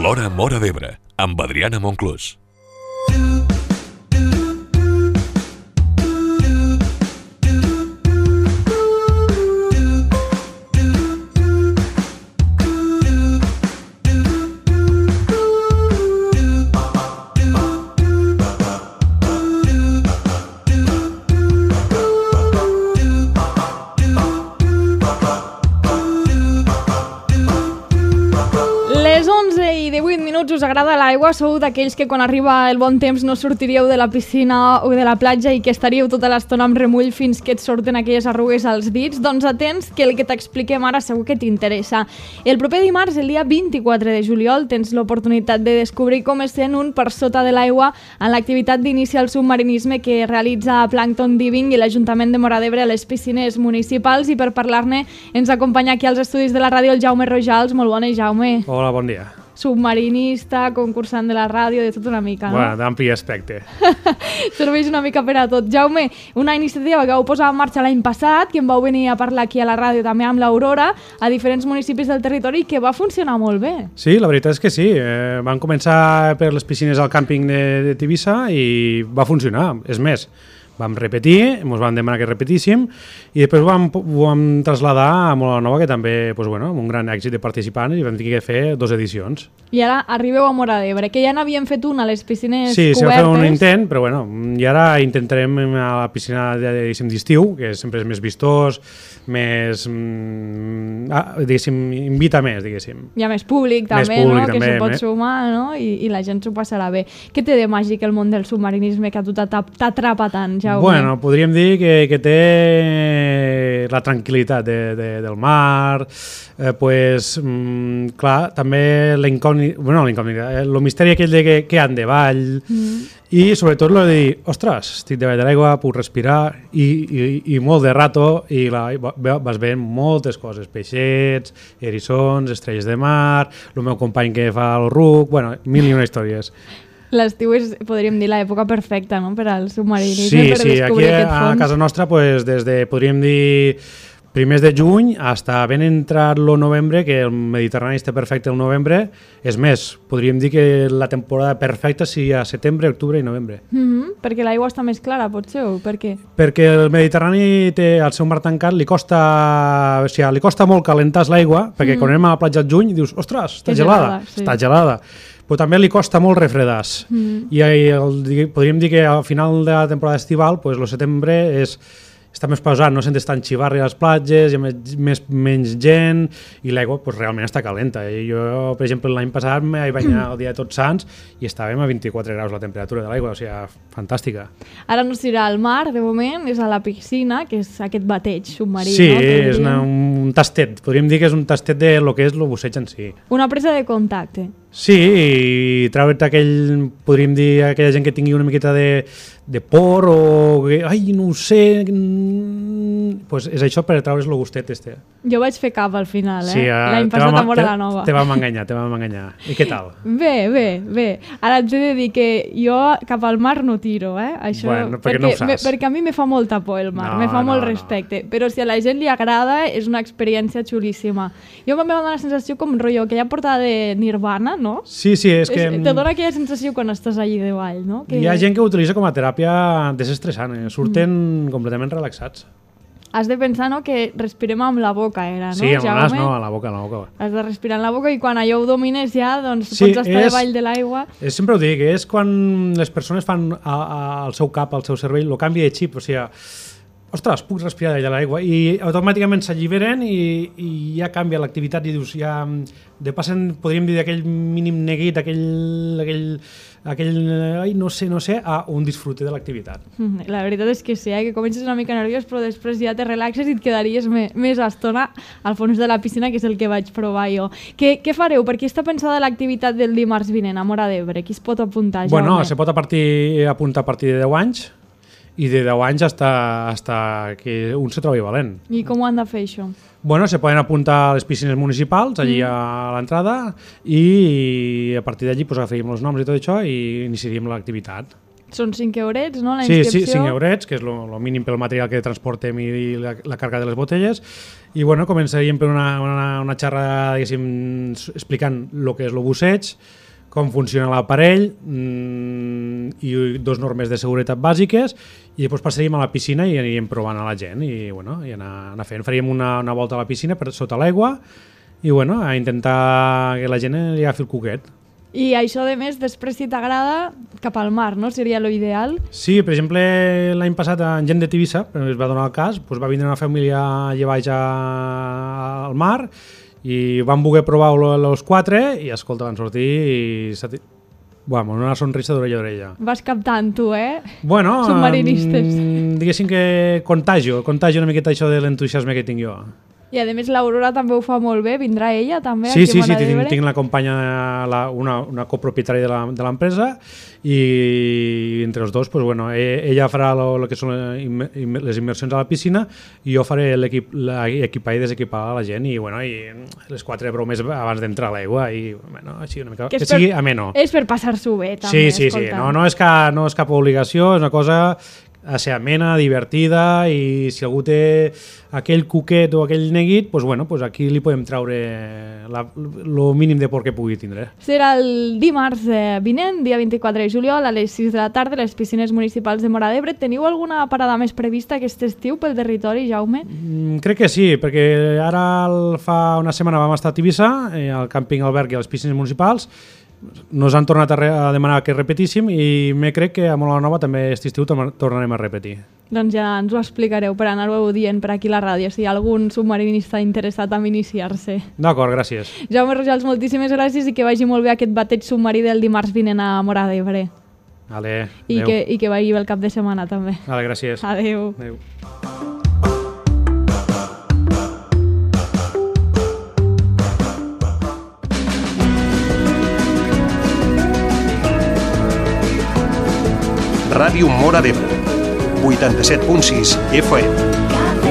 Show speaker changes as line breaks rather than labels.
L'Hora Móra d'Ebre, amb Adriana Monclús.
Us agrada l'aigua? Sou d'aquells que quan arriba el bon temps no sortiríeu de la piscina o de la platja i que estaríeu tota l'estona amb remull fins que et surten aquelles arrugues als dits? Doncs atents, que el que t'expliquem ara segur que t'interessa. El proper dimarts, el dia 24 de juliol, tens l'oportunitat de descobrir com és sent un per sota de l'aigua en l'activitat d'inici al submarinisme que realitza Plankton Diving i l'Ajuntament de Móra d'Ebre a les piscines municipals, i per parlar-ne ens acompanya aquí als estudis de la ràdio el Jaume Rojals. Molt bones, Jaume.
Hola, bon dia.
Submarinista, concursant de la ràdio, de tot una mica, no?
Bueno, d'ampli aspecte.
Serveix una mica per a tot. Jaume, una iniciativa que vau posar en marxa l'any passat, que em vau venir a parlar aquí a la ràdio també amb l'Aurora, a diferents municipis del territori, que va funcionar molt bé.
Sí, la veritat és que sí. Van començar per les piscines al càmping de Tivissa i va funcionar. És més, vam repetir, ens van demanar que repetíssim i després ho vam traslladar a Móra Nova, que també, amb un gran èxit de participants, i vam dir que fer 2 edicions.
I ara arribeu a Móra d'Ebre, que ja n'havíem fet una a les piscines cobertes.
Sí, s'ha fet un intent, però i ara intentarem a la piscina d'estiu, que sempre és més vistós, més, invita més, diguéssim.
Hi ha més públic també,
públic,
no? Que s'ho pot sumar, no? I la gent s'ho passarà bé. Què té de màgic el món del submarinisme que a tu t'atrapa tant, Jaume?
Bueno, podríem dir que té la tranquil·litat del mar, clar, també l'incògnita, el misteri aquell de què han de ball, i sobretot el de dir, ostres, estic davall de l'aigua, puc respirar, i molt de rato, i vas veient moltes coses, peixets, eriçons, estrelles de mar, el meu company que fa el ruc, mil i una històries.
L'estiu és, podríem dir, l'època perfecta, no?, per al submarinisme, per descobrir aquest fons.
Aquí a casa nostra, des de, podríem dir, primers de juny fins ben entrat el novembre, que el Mediterrani està perfecte el novembre. És més, podríem dir que la temporada perfecta sigui a setembre, octubre i novembre.
Perquè l'aigua està més clara, potser, o per què?
Perquè el Mediterrani té el seu mar tancat, li costa molt calentar l'aigua, perquè quan anem a la platja al juny dius, ostres, està gelada, està gelada. Però també li costa molt refredar-se. I podríem dir que al final de la temporada estival, el setembre està més pausat, no sentes tant xivarri a les platges, hi ha menys gent i l'aigua realment està calenta. Jo, per exemple, l'any passat em vaig banyar el dia de Tots Sants i estàvem a 24 graus la temperatura de l'aigua, o sigui, fantàstica.
Ara no s'irà al mar, de moment, és a la piscina, que és aquest bateig submarí.
Sí, és un tastet, podríem dir que és un tastet de lo que és el busseig en si.
Una presa de contacte.
Sí, i treure't podríem dir, aquella gent que tingui una miqueta de por o que, no ho sé, és això per treure's el gustet este.
Jo vaig fer cap al final,
sí,
l'any passat a Móra Nova.
Te vam enganyar. I què tal?
Bé. Ara et he de dir que jo cap al mar no tiro, això,
perquè no ho saps.
Perquè a mi me fa molta por el mar, me fa molt respecte, però si a la gent li agrada és una experiència xulíssima. Jo em va donar la sensació com rotllo, que ja portava de Nirvana, no?
Sí, és que...
Te dona aquella sensació quan estàs allí de ball, no?
Hi ha gent que ho utilitza com a teràpia desestressant, surten completament relaxats.
Has de pensar, no?, que respirem amb la boca, no?
Sí, amb el nas no, a la boca.
Has de respirar amb la boca i quan allò ho domines ja, doncs pots estar davall de l'aigua.
Sempre ho dic, és quan les persones fan al seu cap, al seu cervell, el canvi de xip, o sigui, ostres, puc respirar d'allà l'aigua, i automàticament s'alliberen i ja canvia l'activitat i dius, ja passen, podríem dir, d'aquell mínim neguit, aquell no sé, a un disfrute de l'activitat.
La veritat és que sí, que comences una mica nerviós, però després ja te relaxes i et quedaries més estona al fons de la piscina, que és el que vaig provar jo. Què fareu? Per qui està pensada l'activitat del dimarts vinent a Móra d'Ebre? Qui es pot apuntar, Jaume?
Bueno, se pot apuntar a partir de 10 anys, i de 10 anys hasta que un se trobi valent.
I com ho han de fer, això?
Bueno, se poden apuntar a les piscines municipals, allí a l'entrada, i a partir d'allí agafaríem els noms i tot això i iniciaríem l'activitat.
Són 5 eurets, no, la
Sí,
inscripció?
sí, 5 eurets, que és el mínim pel material que transportem i la càrrega de les botelles. I bueno, començaríem per una xerrada, diguéssim, explicant el que és el busseig, com funciona l'aparell i 2 normes de seguretat bàsiques, i després passaríem a la piscina i aniríem provant a la gent i, bueno, i anar fent. Faríem una volta a la piscina per sota l'aigua i bueno, a intentar que la gent li agafi el cuquet.
I això, de més, després, si t'agrada, cap al mar, no? Seria lo ideal.
Sí, per exemple, l'any passat en gent de Tivissa, es va donar el cas, doncs va vindre una família allà baix al mar i van voler provar els 4 i, escolta, van sortir i... Bueno, una sonrisa d'orella a orella.
Vas captant tu,
Bueno,
submarinistes.
Diguéssim que contagio una miqueta això de l'entusiasme que tinc jo.
I a més l'Aurora també ho fa molt bé, vindrà ella també
Sí,
aquí a Móra d'Ebre?
tinc la companya, una copropietària de l'empresa i entre els dos, pues, bueno, ella farà el que són les immersions a la piscina i jo faré l'equipar i desequipar a la gent i, bueno, i les 4 bromes abans d'entrar a l'aigua i, bueno, així una mica, que sigui ameno.
És per passar-s'ho bé, també,
Sí, no és cap obligació, és una cosa a ser amena, divertida, i si algú té aquell cuquet o aquell neguit, pues bueno, pues aquí li podem treure el mínim de por que pugui tindre.
Serà el dimarts vinent, dia 24 de juliol, a les 6 de la tarda, a les piscines municipals de Móra d'Ebre. Teniu alguna parada més prevista aquest estiu pel territori, Jaume?
Crec que sí, perquè ara fa una setmana vam estar a Tivissa, al càmping Alberg i a les piscines municipals. Nos han tornat a demanar que repetíssim i me crec que a Móra Nova també aquest estiu tornarem a repetir.
Doncs ja ens ho explicareu per anar-ho dient per aquí a la ràdio, si hi ha algun submarinista interessat en iniciar-se.
D'acord, gràcies.
Jaume Rojals, moltíssimes gràcies i que vagi molt bé aquest bateig submarí del dimarts vinent a Móra d'Ebre.
Vale,
I que vagi bé el cap de setmana també.
Vale, gràcies.
Adéu.
Adéu.
Ràdio Móra d'Ebre, 87.6 FM.